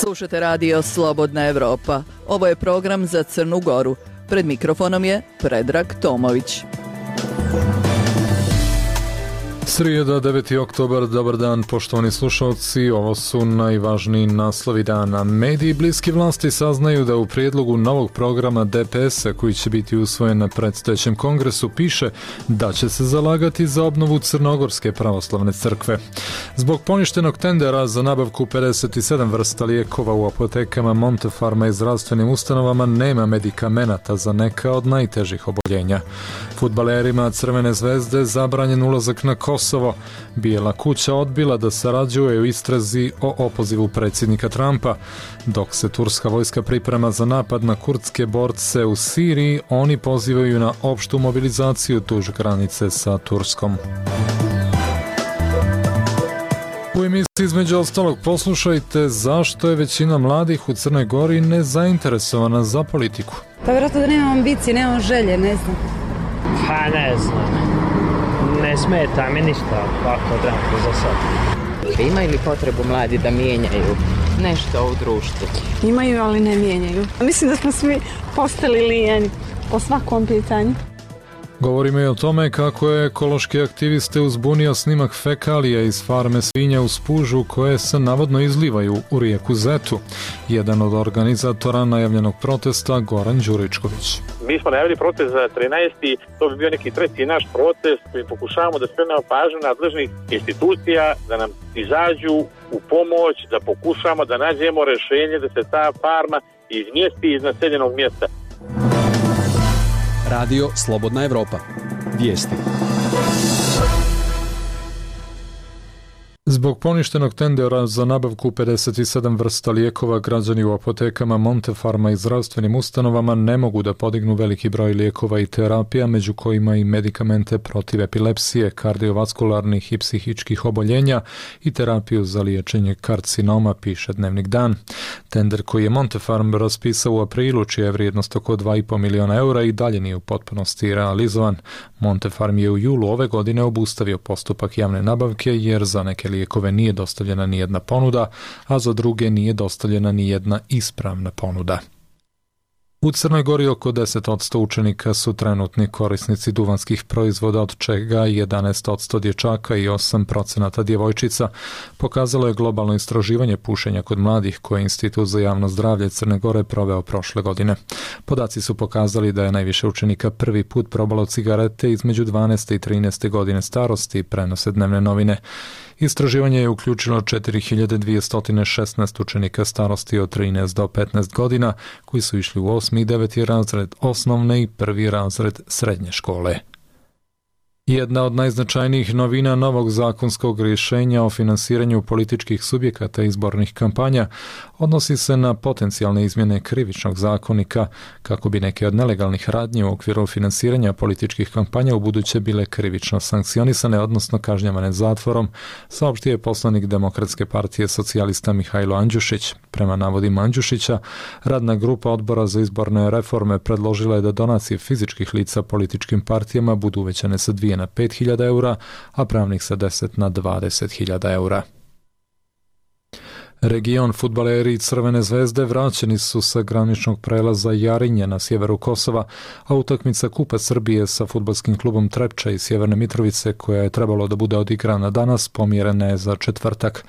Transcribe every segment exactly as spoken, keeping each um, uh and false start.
Slušate radio Slobodna Evropa. Ovo je program za Crnu Goru. Pred mikrofonom je Predrag Tomović. Srijeda, deveti oktobar, dobar dan poštovani slušalci, ovo su najvažniji naslovi dana. Mediji bliski vlasti saznaju da u prijedlogu novog programa D P S-a koji će biti usvojen na predstojećem kongresu piše da će se zalagati za obnovu Crnogorske pravoslavne crkve. Zbog poništenog tendera za nabavku pedeset sedam vrsta lijekova u apotekama Montefarma i zdravstvenim ustanovama nema medikamenata za neka od najtežih oboljenja. Fudbalerima Crvene zvezde zabranjen ulazak na Kosovo. Bijela kuća odbila da sarađuje u istrazi o opozivu predsjednika Trumpa. Dok se turska vojska priprema za napad na kurdske borce u Siriji, oni pozivaju na opštu mobilizaciju duž granice sa Turskom. U emisiji između ostalog poslušajte zašto je većina mladih u Crnoj Gori nezainteresovana za politiku. Pa vjerojatno da nemam ambicije, nemam želje, ne znam. Pa ne znam. Ne smeta mi ništa ovako drago za sad. Imaju li potrebu mladi da mijenjaju nešto u društvu? Imaju, ali ne mijenjaju. Mislim da smo svi postali lijeni po svakom pitanju. Govorimo i o tome kako je ekološki aktiviste uzbunio snimak fekalija iz farme svinja u Spužu koje se navodno izlivaju u rijeku Zetu. Jedan od organizatora najavljenog protesta, Goran Đuričković. Mi smo najavili protest za trinaesti To bi bio neki treći naš protest koji pokušavamo da skrenemo pažnju nadležnih institucija da nam izađu u pomoć, da pokušamo da nađemo rješenje da se ta farma izmjesti iz naseljenog mjesta. Radio Slobodna Evropa. Vijesti. Zbog poništenog tendera za nabavku pedeset sedam vrsta lijekova, građani u apotekama Montefarma i zdravstvenim ustanovama ne mogu da podignu veliki broj lijekova i terapija, među kojima i medikamente protiv epilepsije, kardiovaskularnih i psihičkih oboljenja i terapiju za liječenje karcinoma, piše Dnevnik Dan. Tender koji je Montefarm raspisao u aprilu, čija je vrijednost oko dva i po miliona eura, i dalje nije u potpunosti realizovan. Montefarm je u julu ove godine obustavio postupak javne nabavke jer za neke lijekove nije dostavljena ni jedna ponuda, a za druge nije dostavljena ni jedna ispravna ponuda. U Crnoj Gori oko deset posto učenika su trenutni korisnici duvanskih proizvoda, od čega jedanaest posto dječaka i osam posto djevojčica, pokazalo je globalno istraživanje pušenja kod mladih koje je Institut za javno zdravlje Crne Gore proveo prošle godine. Podaci su pokazali da je najviše učenika prvi put probalo cigarete između dvanaeste i trinaeste godine starosti, prenose Dnevne novine. Istraživanje je uključilo četiri hiljade dvjesto šesnaest učenika starosti od trinaest do petnaest godina koji su išli u osmi i deveti razred osnovne i prvi razred srednje škole. Jedna od najznačajnijih novina novog zakonskog rješenja o finansiranju političkih subjekata i izbornih kampanja odnosi se na potencijalne izmjene krivičnog zakonika kako bi neke od nelegalnih radnji u okviru finansiranja političkih kampanja ubuduće bile krivično sankcionisane, odnosno kažnjavane zatvorom, saopštio je poslanik Demokratske partije socijalista Mihajlo Andjušić. Prema navodima Andjušića, radna grupa odbora za izborne reforme predložila je da donacije fizičkih lica političkim partijama budu uvećane sa dvije na pet hiljada eura, a pravnih sa deset na dvadeset hiljada eura. Region fudbaleri Crvene zvezde vraćeni su sa graničnog prelaza Jarinje na sjeveru Kosova, a utakmica Kupa Srbije sa fudbalskim klubom Trepča iz Sjeverne Mitrovice, koja je trebalo da bude odigrana danas, pomjerena je za četvrtak.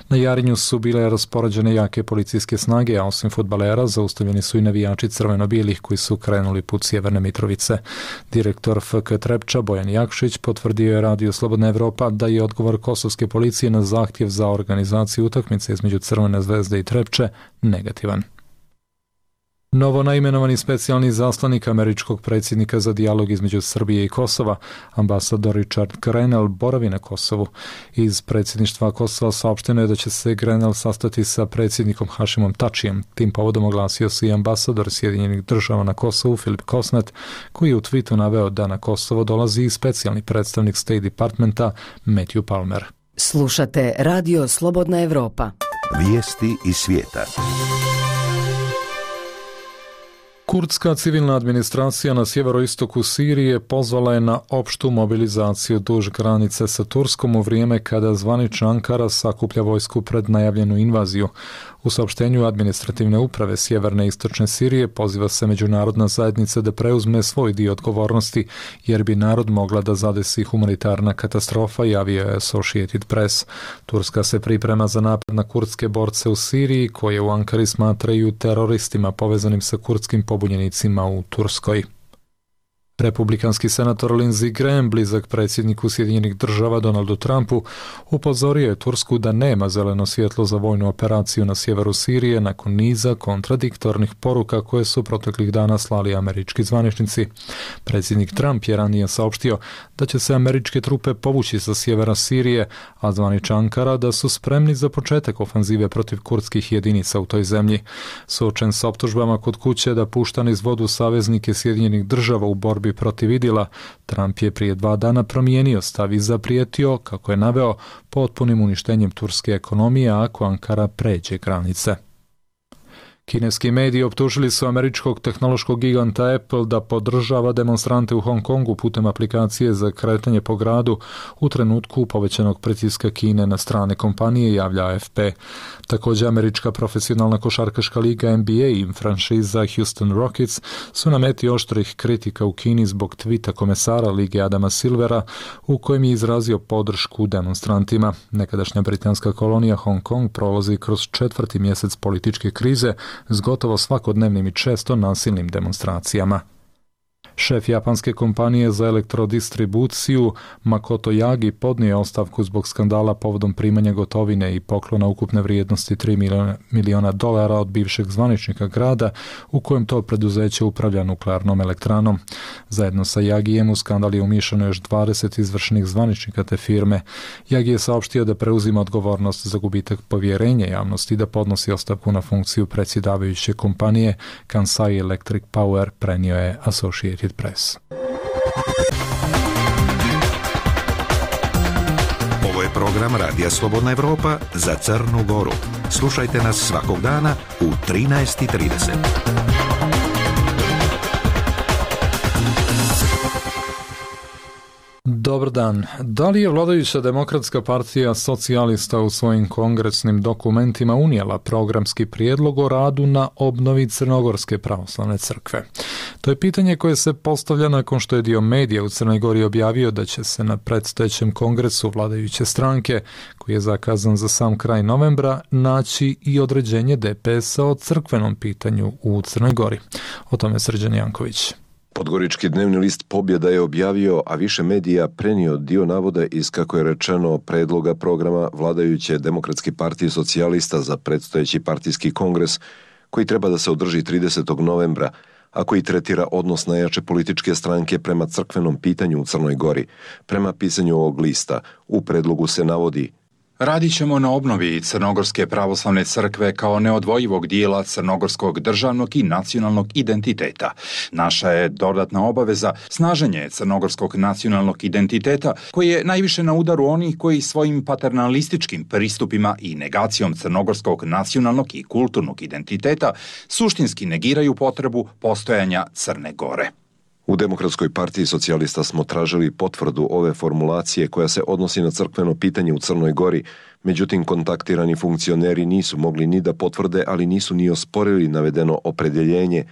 Na Jarinju su bile raspoređene jake policijske snage, a osim fudbalera zaustavljeni su i navijači crveno-bijelih koji su krenuli put Sjeverne Mitrovice. Direktor F K Trepča Bojan Jakšić potvrdio je Radio Slobodna Evropa da je odgovor kosovske policije na zahtjev za organizaciju utakmice između Crvene zvezde i Trepče negativan. Novo naimenovani specijalni zaslanik američkog predsjednika za dijalog između Srbije i Kosova, ambasador Richard Grenell, boravi na Kosovu. Iz predsjedništva Kosova saopšteno je da će se Grenell sastati sa predsjednikom Hašimom Tačijem. Tim povodom oglasio se i ambasador Sjedinjenih država na Kosovu Filip Kosnet, koji je u tweetu naveo da na Kosovo dolazi i specijalni predstavnik State Departmenta Matthew Palmer. Slušate Radio Slobodna Evropa. Vijesti iz svijeta. Kurdska civilna administracija na sjeveroistoku Sirije pozvala je na opštu mobilizaciju duž granice sa Turskom u vrijeme kada zvanična Ankara sakuplja vojsku pred najavljenu invaziju. U saopštenju administrativne uprave sjeverne i istočne Sirije poziva se međunarodna zajednica da preuzme svoj dio odgovornosti, jer bi narod mogla da zadesi humanitarna katastrofa, javio je Associated Press. Turska se priprema za napad na kurdske borce u Siriji, koje u Ankari smatraju teroristima povezanim sa kurdskim pobunjenicima u Turskoj. Republikanski senator Lindsey Graham, blizak predsjedniku Sjedinjenih država Donaldu Trumpu, upozorio je Tursku da nema zeleno svjetlo za vojnu operaciju na sjeveru Sirije nakon niza kontradiktornih poruka koje su proteklih dana slali američki zvaničnici. Predsjednik Trump je ranije saopštio da će se američke trupe povući sa sjevera Sirije, a zvanična Ankara da su spremni za početak ofanzive protiv kurdskih jedinica u toj zemlji. Suočen s optužbama kod kuće da pušta niz vodu saveznike Sjedinjenih država u borbi protiv Idila, Trump je prije dva dana promijenio stav i zaprijetio, kako je naveo, potpunim uništenjem turske ekonomije ako Ankara pređe granice. Kineski mediji optužili su američkog tehnološkog giganta Apple da podržava demonstrante u Hong Kongu putem aplikacije za kretanje po gradu u trenutku povećanog pritiska Kine na strane kompanije, javlja A F P. Također, američka profesionalna košarkaška liga N B A i franšiza Houston Rockets su na meti oštrih kritika u Kini zbog tvita komesara lige Adama Silvera u kojem je izrazio podršku demonstrantima. Nekadašnja britanska kolonija Hong Kong prolazi kroz četvrti mjesec političke krize s gotovo svakodnevnim i često nasilnim demonstracijama. Šef japanske kompanije za elektrodistribuciju Makoto Yagi podnio je ostavku zbog skandala povodom primanja gotovine i poklona ukupne vrijednosti tri miliona dolara od bivšeg zvaničnika grada u kojem to preduzeće upravlja nuklearnom elektranom. Zajedno sa Yagijem u skandal je umiješano još dvadeset izvršnih zvaničnika te firme. Yagi je saopštio da preuzima odgovornost za gubitak povjerenja javnosti i da podnosi ostavku na funkciju predsjedavajuće kompanije. Kansai Electric Power prenio je Associated Press. Ovo je program Radija Slobodna Evropa za Crnu Goru. Slušajte nas svakog dana u trinaest i trideset. Dobar dan. Da li je vladajuća Demokratska partija socijalista u svojim kongresnim dokumentima unijela programski prijedlog o radu na obnovi Crnogorske pravoslavne crkve? To je pitanje koje se postavlja nakon što je dio medija u Crnoj Gori objavio da će se na predstojećem kongresu vladajuće stranke, koji je zakazan za sam kraj novembra, naći i određenje D P S-a o crkvenom pitanju u Crnoj Gori. O tome Srđan Janković. Podgorički dnevni list Pobjeda je objavio, a više medija prenio dio navoda iz, kako je rečeno, predloga programa vladajuće Demokratske partije socijalista za predstojeći partijski kongres, koji treba da se održi tridesetog novembra, a koji tretira odnos najjače političke stranke prema crkvenom pitanju u Crnoj Gori. Prema pisanju ovog lista, u predlogu se navodi: Radit ćemo na obnovi Crnogorske pravoslavne crkve kao neodvojivog dijela crnogorskog državnog i nacionalnog identiteta. Naša je dodatna obaveza snaženje crnogorskog nacionalnog identiteta, koji je najviše na udaru onih koji svojim paternalističkim pristupima i negacijom crnogorskog nacionalnog i kulturnog identiteta suštinski negiraju potrebu postojanja Crne Gore. U Demokratskoj partiji socijalista smo tražili potvrdu ove formulacije koja se odnosi na crkveno pitanje u Crnoj Gori, međutim kontaktirani funkcioneri nisu mogli ni da potvrde, ali nisu ni osporili navedeno opredjeljenje.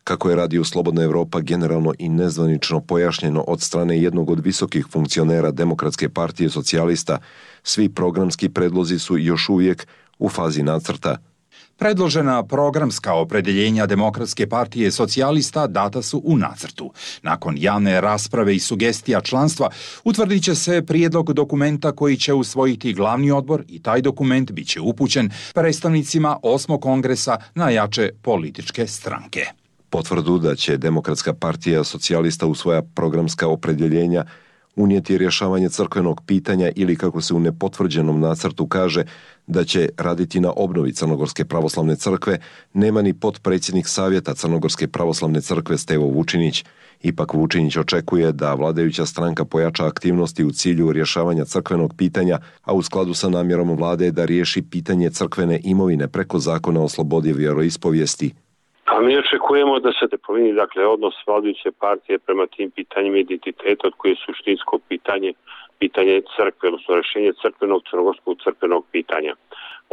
Kako je Radio Slobodna Evropa generalno i nezvanično pojašnjeno od strane jednog od visokih funkcionera Demokratske partije socijalista, svi programski predlozi su još uvijek u fazi nacrta. Predložena programska opredjeljenja Demokratske partije socijalista data su u nacrtu. Nakon javne rasprave i sugestija članstva utvrdit će se prijedlog dokumenta koji će usvojiti glavni odbor i taj dokument bit će upućen predstavnicima osmog kongresa najjače političke stranke. Potvrdu da će Demokratska partija socijalista u svoja programska opredjeljenja unijeti rješavanje crkvenog pitanja ili, kako se u nepotvrđenom nacrtu kaže, da će raditi na obnovi Crnogorske pravoslavne crkve, nema ni potpredsjednik Savjeta Crnogorske pravoslavne crkve Stevo Vučinić. Ipak Vučinić očekuje da vladajuća stranka pojača aktivnosti u cilju rješavanja crkvenog pitanja, a u skladu sa namjerom vlade da riješi pitanje crkvene imovine preko zakona o slobodi vjeroispovijesti. A A mi očekujemo da se ne promijeni, dakle, odnos vladajuće partije prema tim pitanjima identiteta, od koje je suštinsko pitanje, pitanje crkve, odnosno rješenje crkvenog, crnogorskog crkvenog pitanja.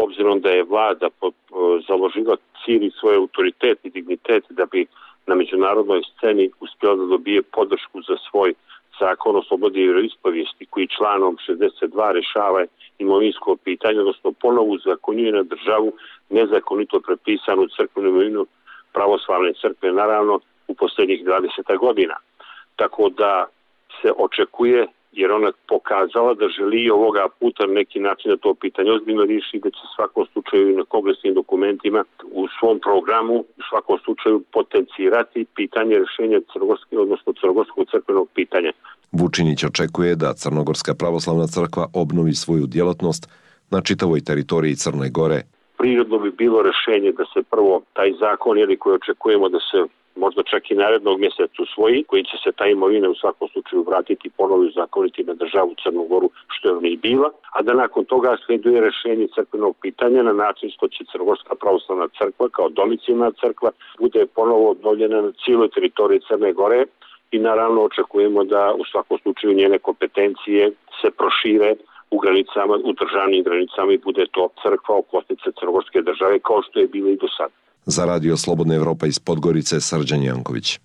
Obzirom da je vlada založila cijeli svoj autoritet i dignitet da bi na međunarodnoj sceni uspjela da dobije podršku za svoj zakon o slobodi vjeroispovijesti, koji članom šezdeset dva rješava imovinsko pitanje, odnosno ponovo uzakonjuje na državu nezakonito prepisanu crkvenu imovinu pravoslavne crkve, naravno u posljednjih dvadeset godina. Tako da se očekuje, jer ona pokazala da želi ovoga puta na neki način da to pitanje ozbiljno riješi, da će u svakom slučaju na kongresnim dokumentima u svom programu u svakom slučaju potencirati pitanje rješenja crnogorskog, odnosno crnogorskog crkvenog pitanja. Vučinić očekuje da Crnogorska pravoslavna crkva obnovi svoju djelatnost na čitavoj teritoriji Crne Gore. Prirodno bi bilo rješenje da se prvo taj zakon, ili koji očekujemo da se možda čak i narednog mjeseca usvoji, koji će se ta imovina u svakom slučaju vratiti ponovo zakoniti na državu Crnu Goru, što je ona i bila, a da nakon toga slijeduje rješenje crkvenog pitanja na način što će Crnogorska pravoslavna crkva kao domicilna crkva bude ponovo obnovljena na cijeloj teritoriji Crne Gore i naravno očekujemo da u svakom slučaju njene kompetencije se prošire u granicama, u državnim granicama i bude to crkva okosnica crnogorske države kao što je bilo i do sada. Za Radio Slobodna Evropa iz Podgorice, Srđan Janković.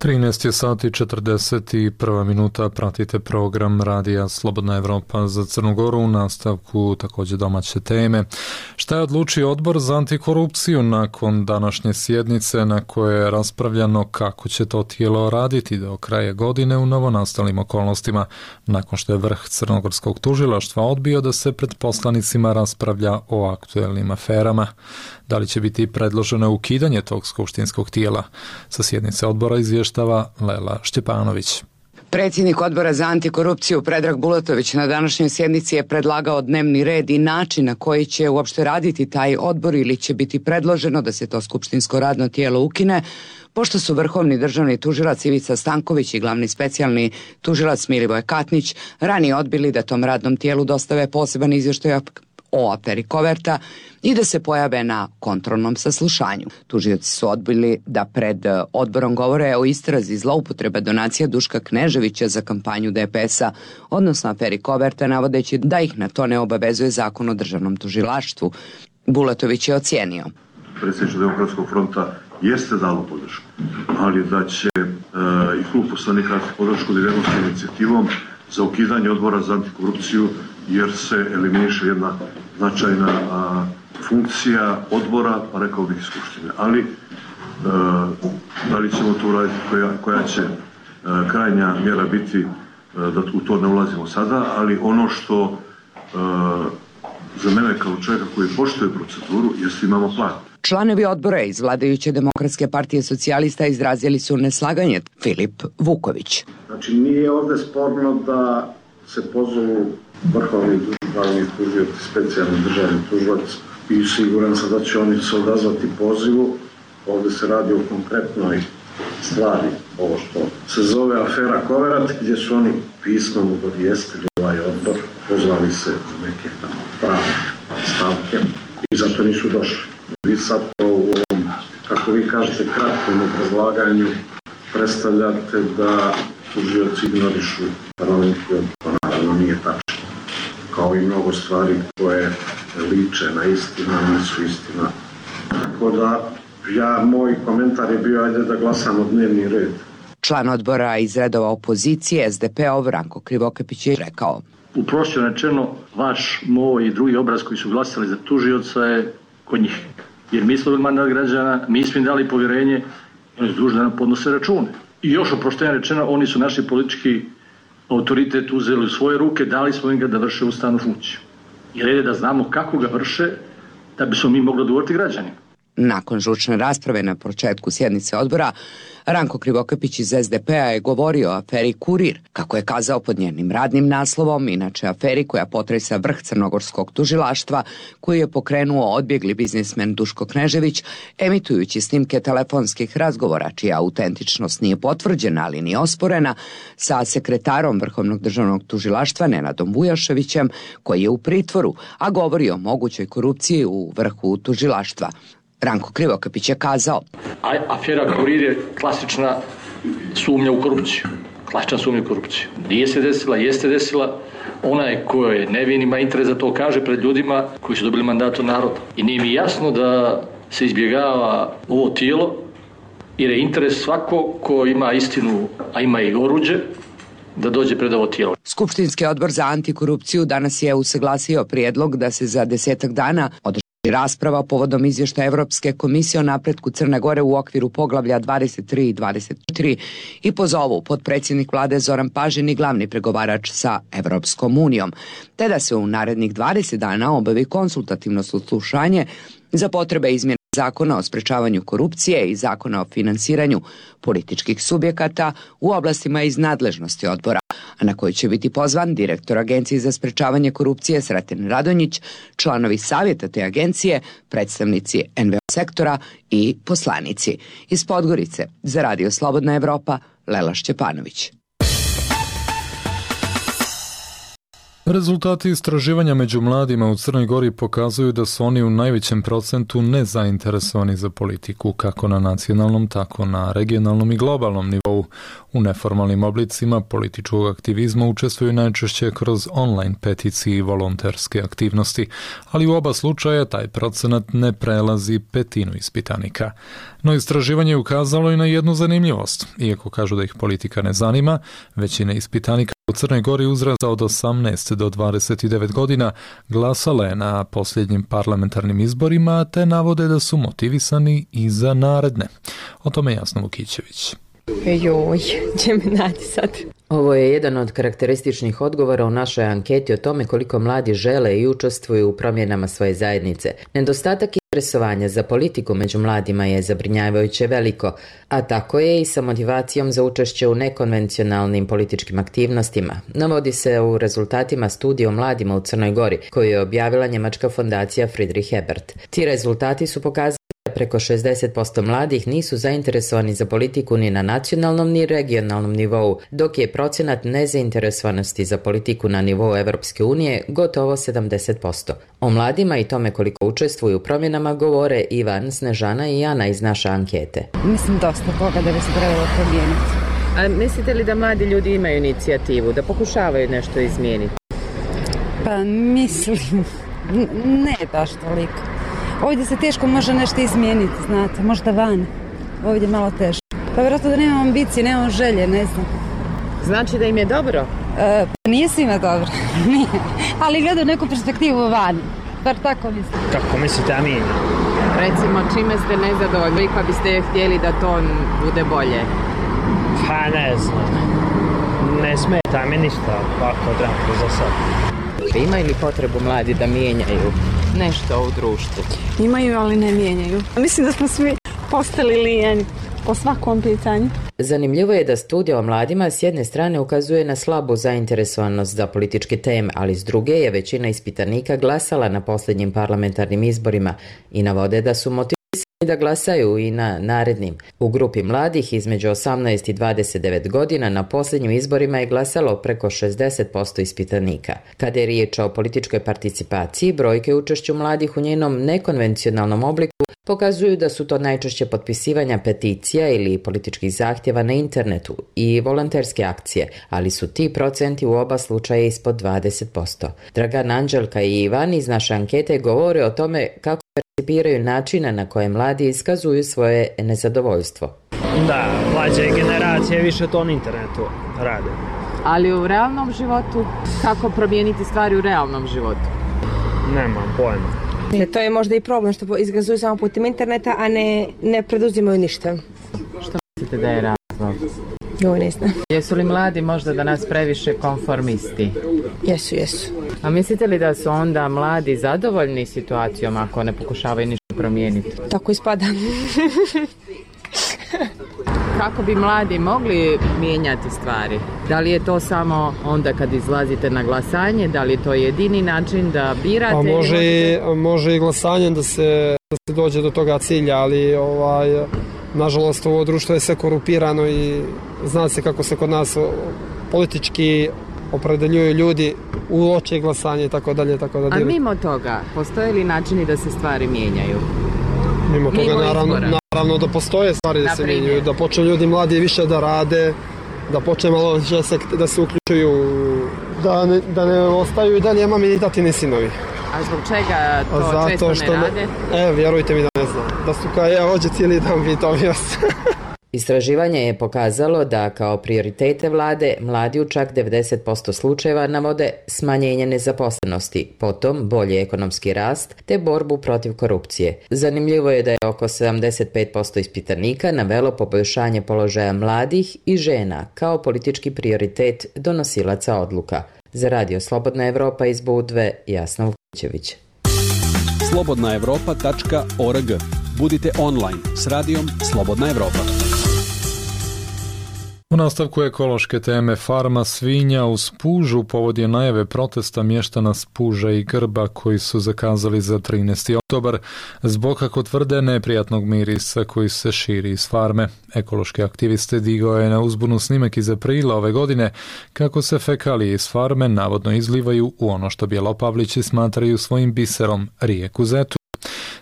trinaest je sati četrdeset jedna minuta, pratite program Radija Slobodna Evropa za Crnu Goru, u nastavku također domaće teme. Šta je odlučio Odbor za antikorupciju nakon današnje sjednice na kojoj je raspravljano kako će to tijelo raditi do kraja godine u novonastalim okolnostima, nakon što je vrh crnogorskog tužilaštva odbio da se pred poslanicima raspravlja o aktuelnim aferama. Da li će biti predloženo ukidanje tog skupštinskog tijela? Sa sjednice odbora izvještava Lela Šćepanović. Predsjednik Odbora za antikorupciju Predrag Bulatović na današnjoj sjednici je predlagao dnevni red i način na koji će uopšte raditi taj odbor ili će biti predloženo da se to skupštinsko radno tijelo ukine, pošto su vrhovni državni tužilac Ivica Stanković i glavni specijalni tužilac Milivoj Katnić ranije odbili da tom radnom tijelu dostave poseban izvještaj o aferi Koverta i da se pojave na kontrolnom saslušanju. Tužioci su odbili da pred odborom govore o istrazi zloupotreba donacija Duška Kneževića za kampanju D P S-a, odnosno aferi Koverta, navodeći da ih na to ne obavezuje zakon o državnom tužilaštvu. Bulatović je ocijenio. Predsjedništvo Demokratskog fronta jeste dalo podršku, ali da će e, i klub poslanika podršku da idemo s inicijativom za ukidanje Odbora za antikorupciju, jer se eliminiše jedna značajna a, funkcija odbora, pa rekao bih skupštine. Ali, e, da li ćemo to uraditi, koja, koja će e, krajnja mjera biti, e, da u to ne ulazimo sada, ali ono što e, za mene kao čovjeka koji poštuje proceduru, jeste imamo plan. Članovi odbora iz vladajuće Demokratske partije socijalista izrazili su neslaganje. Filip Vuković. Znači, nije ovdje sporno da se pozovu vrhovni državni tužioci, specijalni državni tužilac i siguran sam da će oni se odazvati pozivu. Ovdje se radi o konkretnoj stvari, ovo što se zove afera Koverat, gdje su oni pismom obavijestili ovaj odbor, pozvali se na neke pravne stavke i zato nisu došli. Vi sad to u ovom, kako vi kažete, kratkom obrazlaganju predstavljate da tužioci ignorišu parlamentski odbor. Naravno nije tačno. Kao i mnogo stvari koje liče na istina, nisu istina. Tako da, ja, moj komentar je bio, ajde da glasamo dnevni red. Član odbora iz redova opozicije S D P-ov Ranko Krivokapić je rekao. Uprošćeno rečeno, vaš, moj i drugi obraz koji su glasali za tužioca je kod njih. Jer mi smo mandat građana, mi smo im dali povjerenje, oni su dužni da nam podnose račune. I još oproštenje rečeno, oni su naši politički autoritet uzeli u svoje ruke, dali smo im ga da vrše ustavnu funkciju. I red je da znamo kako ga vrše, da bi smo mi mogli odgovoriti građanima. Nakon žučne rasprave na početku sjednice odbora, Ranko Krivokapić iz es de pe a je govorio o aferi Kurir, kako je kazao pod njenim radnim naslovom, inače aferi koja potresa vrh crnogorskog tužilaštva, koju je pokrenuo odbjegli biznismen Duško Knežević, emitujući snimke telefonskih razgovora, čija autentičnost nije potvrđena, ali ni osporena, sa sekretarom Vrhovnog državnog tužilaštva Nenadom Vujaševićem, koji je u pritvoru, a govori o mogućoj korupciji u vrhu tužilaštva. Ranko Krivokapić je kazao: A afera Kurir je klasična sumnja u korupciju. Klasična sumnja u korupciju. Nije se desila, jeste desila. Onaj ko je nevin ima interes da to kaže pred ljudima koji su dobili mandat od naroda. I nije mi jasno da se izbjegava ovo tijelo, jer je interes svako ko ima istinu, a ima i oruđe, da dođe pred ovo tijelo. Skupštinski odbor za antikorupciju danas je usaglasio prijedlog da se za desetak dana održi rasprava povodom izvještaja Evropske komisije o napretku Crne Gore u okviru poglavlja dvadeset tri i dvadeset četiri i pozovu potpredsjednik vlade Zoran Pažin i glavni pregovarač sa Evropskom unijom, te da se u narednih dvadeset dana obavi konsultativno saslušanje za potrebe izmjene Zakona o sprečavanju korupcije i Zakona o finansiranju političkih subjekata u oblastima iz nadležnosti odbora, a na koji će biti pozvan direktor Agencije za sprečavanje korupcije Sreten Radonjić, članovi savjeta te agencije, predstavnici en ve o sektora i poslanici. Iz Podgorice za Radio Slobodna Evropa, Lela Šćepanović. Rezultati istraživanja među mladima u Crnoj Gori pokazuju da su oni u najvećem procentu nezainteresovani za politiku, kako na nacionalnom, tako na regionalnom i globalnom nivou. U neformalnim oblicima političkog aktivizma učestvuju najčešće kroz online peticije i volonterske aktivnosti, ali u oba slučaja taj procenat ne prelazi petinu ispitanika. No istraživanje je ukazalo i na jednu zanimljivost. Iako kažu da ih politika ne zanima, većina ispitanika u Crnoj Gori uzrasta od osamnaest do dvadeset devet godina glasala je na posljednjim parlamentarnim izborima, te navode da su motivisani i za naredne. O tome Jasna Vukićević. Joj, će me naći sad. Ovo je jedan od karakterističnih odgovora u našoj anketi o tome koliko mladi žele i učestvuju u promjenama svoje zajednice. Nedostatak interesovanja za politiku među mladima je zabrinjavajuće veliko, a tako je i sa motivacijom za učešće u nekonvencionalnim političkim aktivnostima. Navodi se u rezultatima studije o mladima u Crnoj Gori, koju je objavila njemačka fondacija Friedrich Ebert. Ti rezultati su pokazali da preko šezdeset posto mladih nisu zainteresovani za politiku ni na nacionalnom ni regionalnom nivou, dok je procenat nezainteresovanosti za politiku na nivou Evropske unije gotovo sedamdeset posto. O mladima i tome koliko učestvuju u promjenama govore Ivan, Snežana i Ana iz naše ankete. Mislim dosta toga da bi se trebalo promijeniti. A mislite li da mladi ljudi imaju inicijativu, da pokušavaju nešto izmijeniti? Pa mislim, ne baš toliko. Ovdje se teško može nešto izmijeniti, znate, možda van. Ovdje je malo teško. Pa vjerojatno da nemam ambicije, nemam želje, ne znam. Znači da im je dobro? E, pa nije svima dobro, nije. Ali gledam neku perspektivu van, bar tako mislim. Kako mislite, a mi? Recimo, čime ste nezadovoljni, pa biste htjeli da to bude bolje? Pa ne znam, ne smeta mi ništa ovako trenutno za sad. Imaju li potrebu mladi da mijenjaju nešto u društvu? Imaju, ali ne mijenjaju. Mislim da smo svi postali lijeni po svakom pitanju. Zanimljivo je da studija o mladima s jedne strane ukazuje na slabu zainteresovanost za političke teme, ali s druge je većina ispitanika glasala na posljednjim parlamentarnim izborima i navode da su motivisani da glasaju i na narednim. U grupi mladih između osamnaest i dvadeset devet godina na posljednjim izborima je glasalo preko šezdeset posto ispitanika. Kada je riječ o političkoj participaciji, brojke učešću mladih u njenom nekonvencionalnom obliku pokazuju da su to najčešće potpisivanja peticija ili političkih zahtjeva na internetu i volonterske akcije, ali su ti procenti u oba slučaja ispod dvadeset posto. Dragan, Anđelka i Ivan iz naše ankete govore o tome kako percipiraju načina na koje mladi iskazuju svoje nezadovoljstvo. Da, mlađe generacije više to na internetu rade. Ali u realnom životu, kako promijeniti stvari u realnom životu? Nemam pojma. To je možda i problem što izgazuju samo putem interneta, a ne, ne preduzimaju ništa. Što mislite da je razlog? Jo, ne znam. Jesu li mladi možda danas previše konformisti? Jesu, jesu. A mislite li da su onda mladi zadovoljni situacijom ako ne pokušavaju ništa promijeniti? Tako ispada. Kako bi mladi mogli mijenjati stvari? Da li je to samo onda kad izlazite na glasanje? Da li je to jedini način da birate? Pa može, možete... može i glasanjem da se, da se dođe do toga cilja, ali ovaj, nažalost ovo društvo je sve korupirano i zna se kako se kod nas politički opredeljuju ljudi u oči glasanje i tako dalje. Tako da A mimo toga, postoje li načini da se stvari mijenjaju? Mimo toga, mimo naravno, naravno da postoje stvari da se mijenjaju, da počnu ljudi mladi više da rade, da počne malo više se, da se uključuju, da ne, da ne ostaju i dalje mami i tatini sinovi. A zbog čega to Zato često što ne rade? Ne, e, vjerujte mi da ne znam. Da su kao ja hođe cijeli dan vitovio se. Istraživanje je pokazalo da kao prioritete vlade mladi u čak devedeset posto slučajeva navode smanjenje nezaposlenosti, potom bolji ekonomski rast te borbu protiv korupcije. Zanimljivo je da je oko sedamdeset pet posto ispitanika navelo poboljšanje položaja mladih i žena kao politički prioritet donosilaca odluka. Za Radio Slobodna Evropa iz Budve, Jasna Vukićević. slobodna evropa tačka org. Budite online s radijom Slobodna Evropa. U nastavku ekološke teme farma svinja u Spužu povod je najave protesta mještana Spuža i Grba koji su zakazali za trinaesti oktobar zbog, kako tvrde, neprijatnog mirisa koji se širi iz farme. Ekološki aktiviste digao je na uzbunu snimak iz aprila ove godine kako se fekalije iz farme navodno izlivaju u ono što Bjelopavlići smatraju svojim biserom, rijeku Zetu.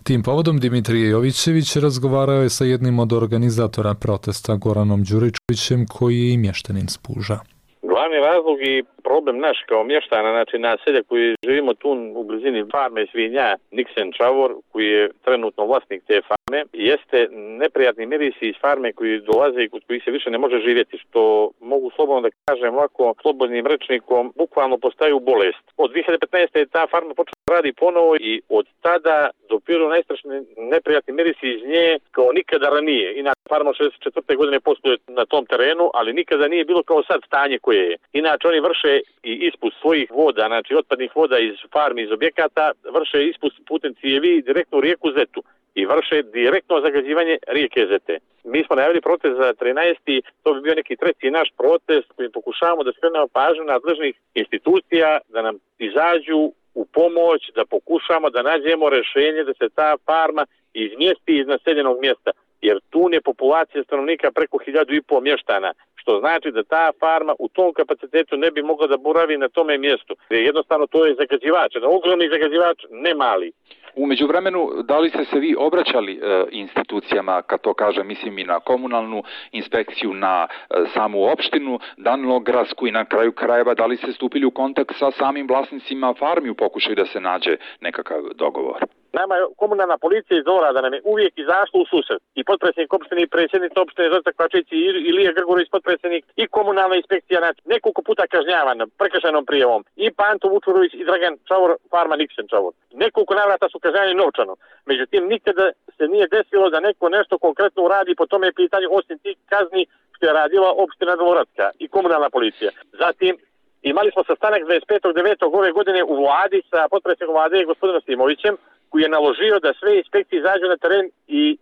Tim povodom Dimitrije Jovićević razgovarao je sa jednim od organizatora protesta, Goranom Đuričkovićem, koji je i mještanin Spuža. Glavni razlog i problem naš kao mještana, znači naselja koji živimo tu u blizini farme svinja Niksen Čavor, koji je trenutno vlasnik te farme, jeste neprijatni mirisi iz farme koji dolaze i kod kojih se više ne može živjeti, što mogu slobodno da kažem ovako slobodnim rečnikom, bukvalno postaju bolest. Od dvije hiljade petnaeste. je ta farma počela da radi ponovo i od tada dopiru najstrašniji neprijatni mirisi iz nje kao nikada ranije. Inače, farma šezdeset četvrte. godine posluje na tom terenu, ali nikada nije bilo kao sad stanje koje je. Inače, oni vrše i ispust svojih voda, znači otpadnih voda iz farmi, iz objekata, vrše ispust putem cijevi direktno u rijeku Zetu i vrše direktno zagađivanje rijeke Zete. Mi smo najavili protest za trinaesti. To bi bio neki treći naš protest kojim pokušavamo da skrenemo pažnju nadležnih institucija, da nam izađu u pomoć, da pokušamo da nađemo rješenje da se ta farma izmjesti iz naseljenog mjesta, jer tu je populacija stanovnika preko hiljadu i pol mještana, što znači da ta farma u tom kapacitetu ne bi mogla da boravi na tome mjestu. Jednostavno to je zagađivač, jedan ogromni zagađivač, ne mali. U međuvremenu, da li ste se vi obraćali e, institucijama, kad to kažem, mislim i na komunalnu inspekciju, na e, samu opštinu Danilogradsku i na kraju krajeva, da li ste stupili u kontakt sa samim vlasnicima farmi u pokušaju da se nađe nekakav dogovor? Nama je komunalna policija iz Dorada nam je uvijek izašla u susret. I potpredsjednik opštine i predsjednica opštine Zrta Kvačić i Ilija Grgorović potpredsjednik i komunalna inspekcija, znači nekoliko puta kažnjavan prekršajnom prijavom. I Panto Vučurović i Dragan Čavor, farma Niksen Čavor. Nekoliko navrata su kažnjavani novčano. Međutim, nikada se nije desilo da neko nešto konkretno uradi po tome pitanju osim tih kazni što je radila opština Dvoradska i komunalna policija. Zatim, imali smo sastanak dvadeset petog devetog ove godine u vladi sa potpredsjednikom vlade gospodinom Simovićem, koji je naložio da sve inspekcije izađu na teren i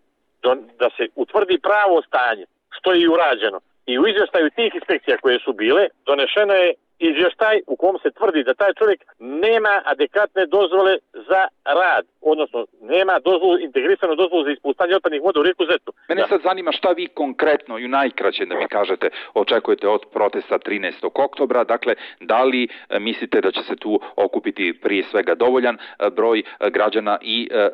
da se utvrdi pravo stanje, što je i urađeno. I u izvještaju tih inspekcija koje su bile, donešeno je izvještaj u kom se tvrdi da taj čovjek nema adekvatne dozvole za rad, odnosno nema dozvolu, integrisanu dozvolu za ispuštanje otpadnih voda u rijeku Zetu. Mene da. sad zanima šta vi konkretno i najkraće da mi kažete očekujete od protesta trinaestog oktobra, dakle da li e, mislite da će se tu okupiti prije svega dovoljan e, broj e, građana i e, e,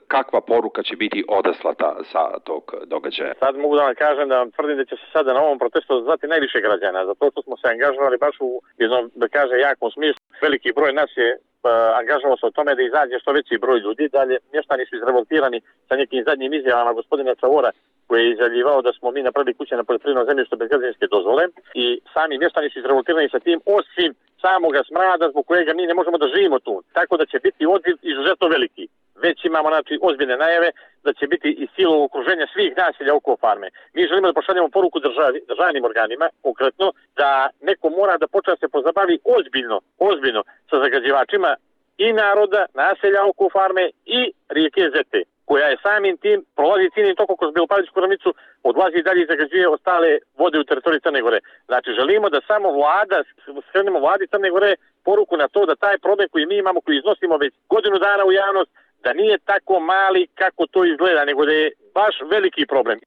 kakva poruka će biti odaslata sa tog događaja? Sad mogu da vam kažem da vam tvrdim da će se sada na ovom protestu zvati najviše građana, zato što smo se angažovali baš u jednom, da kaže, jakom smislu. Veliki broj nas je uh, angažovao se o tome da izađe što veći broj ljudi. Dalje, mještani su izrevoltirani sa nekim zadnjim izjavama gospodina Čavora, koji je izjavljivao da smo mi napravili kuće na poljoprivrednom zemljištu bez građevinske dozvole i sami mještani su izrevoltirani sa tim, osim samoga smrada zbog kojega mi ne možemo da živimo tu. Tako da će biti odziv izuzetno veliki. Već imamo, znači, ozbiljne najave da će biti i silo okruženja svih naselja oko farme. Mi želimo da pošaljemo poruku državi, državnim organima, konkretno, da neko mora da počne se pozabavi ozbiljno, ozbiljno sa zagađivačima i naroda, naselja oko farme i rijeke Zete. koja je samim tim prolazi ciljnim tokom kroz Belopalečku ravnicu, odlazi i dalje i zagađuje ostale vode u teritoriji Crne Gore. Znači želimo da samo vlada, skrenemo vladi Crne Gore poruku na to da taj problem koji mi imamo, koji iznosimo već godinu dana u javnost, da nije tako mali kako to izgleda, nego da je baš veliki problem.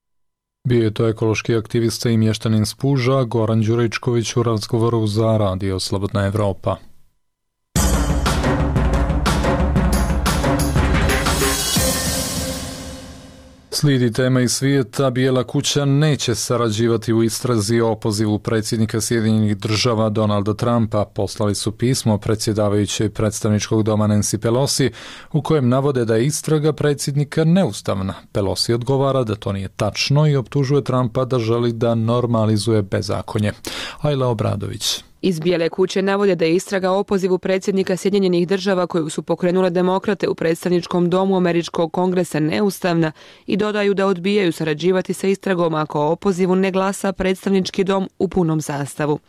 Bio je to ekološki aktivista i mještanin Spuža Goran Đuričković u razgovoru za Radio Slobodna Evropa. Slijedi tema iz svijeta. Bijela kuća neće sarađivati u istrazi o opozivu predsjednika Sjedinjenih država Donalda Trumpa. Poslali su pismo predsjedavajućoj predstavničkog doma Nancy Pelosi u kojem navode da je istraga predsjednika neustavna. Pelosi odgovara da to nije tačno i optužuje Trumpa da želi da normalizuje bezakonje. Ajla Obradović. Iz Bijele kuće navode da je istraga o opozivu predsjednika Sjedinjenih država koju su pokrenule demokrate u predstavničkom domu Američkog kongresa neustavna i dodaju da odbijaju sarađivati sa istragom ako o opozivu ne glasa predstavnički dom u punom sastavu.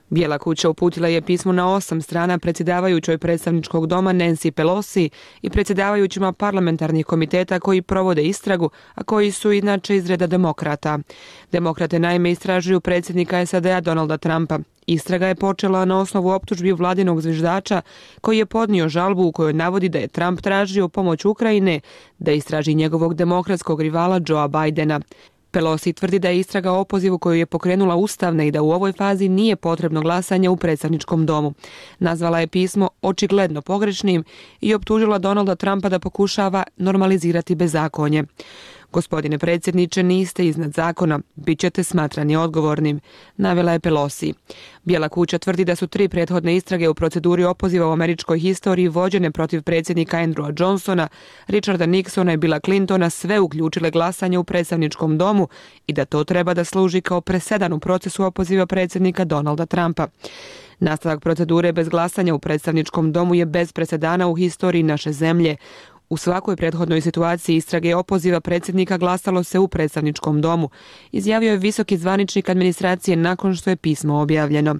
Bijela kuća uputila je pismo na osam strana predsjedavajućoj predstavničkog doma Nancy Pelosi i predsjedavajućima parlamentarnih komiteta koji provode istragu, a koji su inače iz reda demokrata. Demokrate naime istražuju predsjednika S A D-a Donalda Trumpa. Istraga je počela na osnovu optužbi vladinog zviždača koji je podnio žalbu u kojoj navodi da je Trump tražio pomoć Ukrajine da istraži njegovog demokratskog rivala Joea Bidena. Pelosi tvrdi da je istraga o opozivu koju je pokrenula ustavna i da u ovoj fazi nije potrebno glasanje u predstavničkom domu. Nazvala je pismo očigledno pogrešnim i optužila Donalda Trumpa da pokušava normalizirati bezakonje. Gospodine predsjedniče, niste iznad zakona, bit ćete smatrani odgovornim, navela je Pelosi. Bijela kuća tvrdi da su tri prethodne istrage u proceduri opoziva u američkoj historiji vođene protiv predsjednika Andrewa Johnsona, Richarda Nixona i Billa Clintona sve uključile glasanje u predstavničkom domu i da to treba da služi kao presedan u procesu opoziva predsjednika Donalda Trumpa. Nastavak procedure bez glasanja u predstavničkom domu je bez presedana u historiji naše zemlje. U svakoj prethodnoj situaciji istrage opoziva predsjednika glasalo se u predstavničkom domu, izjavio je visoki zvaničnik administracije nakon što je pismo objavljeno.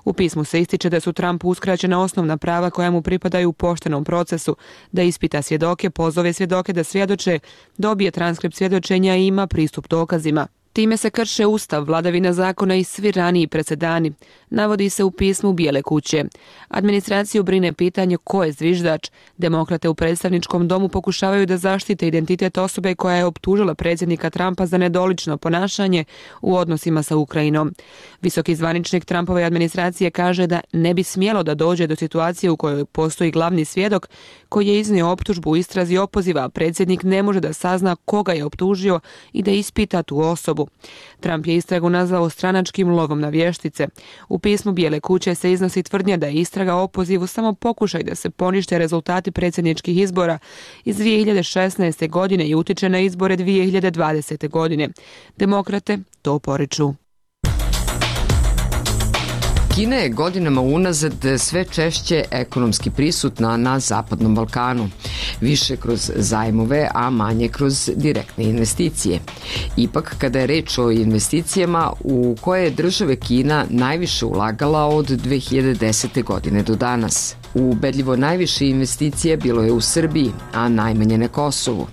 U pismu se ističe da su Trumpu uskraćena osnovna prava koja mu pripadaju u poštenom procesu, da ispita svjedoke, pozove svjedoke da svjedoče, dobije transkript svjedočenja i ima pristup dokazima. Time se krše ustav, vladavina zakona i svi raniji presedani, navodi se u pismu Bijele kuće. Administraciju brine pitanje ko je zviždač. Demokrate u predstavničkom domu pokušavaju da zaštite identitet osobe koja je optužila predsjednika Trumpa za nedolično ponašanje u odnosima sa Ukrajinom. Visoki zvaničnik Trumpove administracije kaže da ne bi smjelo da dođe do situacije u kojoj postoji glavni svjedok koji je iznio optužbu u istrazi opoziva, a predsjednik ne može da sazna koga je optužio i da ispita tu osobu. Trump je istragu nazvao stranačkim lovom na vještice. U pismu Bijele kuće se iznosi tvrdnja da je istraga o opozivu samo pokušaj da se ponište rezultati predsjedničkih izbora iz dvije hiljade šesnaeste. godine i utiče na izbore dvije hiljade dvadesete. godine. Demokrate to poriču. Kina je godinama unazad sve češće ekonomski prisutna na Zapadnom Balkanu, više kroz zajmove, a manje kroz direktne investicije. Ipak, kada je reč o investicijama u koje je države Kina najviše ulagala od dve hiljade desete. godine do danas. Ubedljivo najviše investicije bilo je u Srbiji, a najmanje na Kosovu.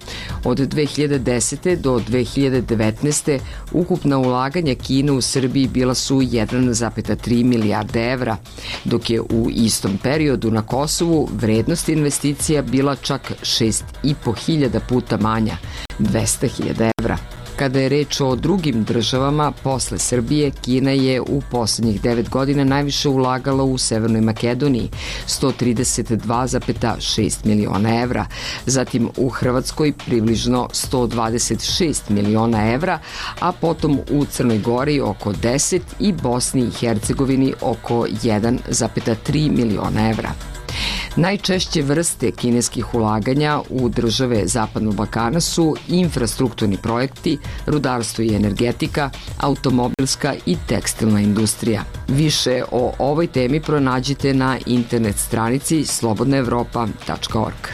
Od dve hiljade desete. do dve hiljade devetnaeste. ukupna ulaganja Kine u Srbiji bila su jedan zarez tri milijarde evra, dok je u istom periodu na Kosovu vrednost investicija bila čak šest i po hiljada puta manja, dvesta hiljada evra. Kada je reč o drugim državama, posle Srbije, Kina je u posljednjih devet godina najviše ulagala u Severnoj Makedoniji, sto trideset dva zarez šest miliona evra, zatim u Hrvatskoj približno sto dvadeset šest miliona evra, a potom u Crnoj Gori oko deset i Bosni i Hercegovini oko jedan zarez tri miliona evra. Najčešće vrste kineskih ulaganja u države Zapadnog Balkana su infrastrukturni projekti, rudarstvo i energetika, automobilska i tekstilna industrija. Više o ovoj temi pronađite na internet stranici slobodna evropa tačka org.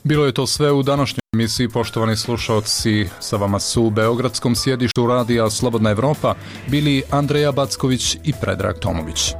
Bilo je to sve u današnjoj emisiji, poštovani slušalci. Sa vama su u beogradskom sjedištu radija Slobodna Evropa bili Andreja Backović i Predrag Tomović.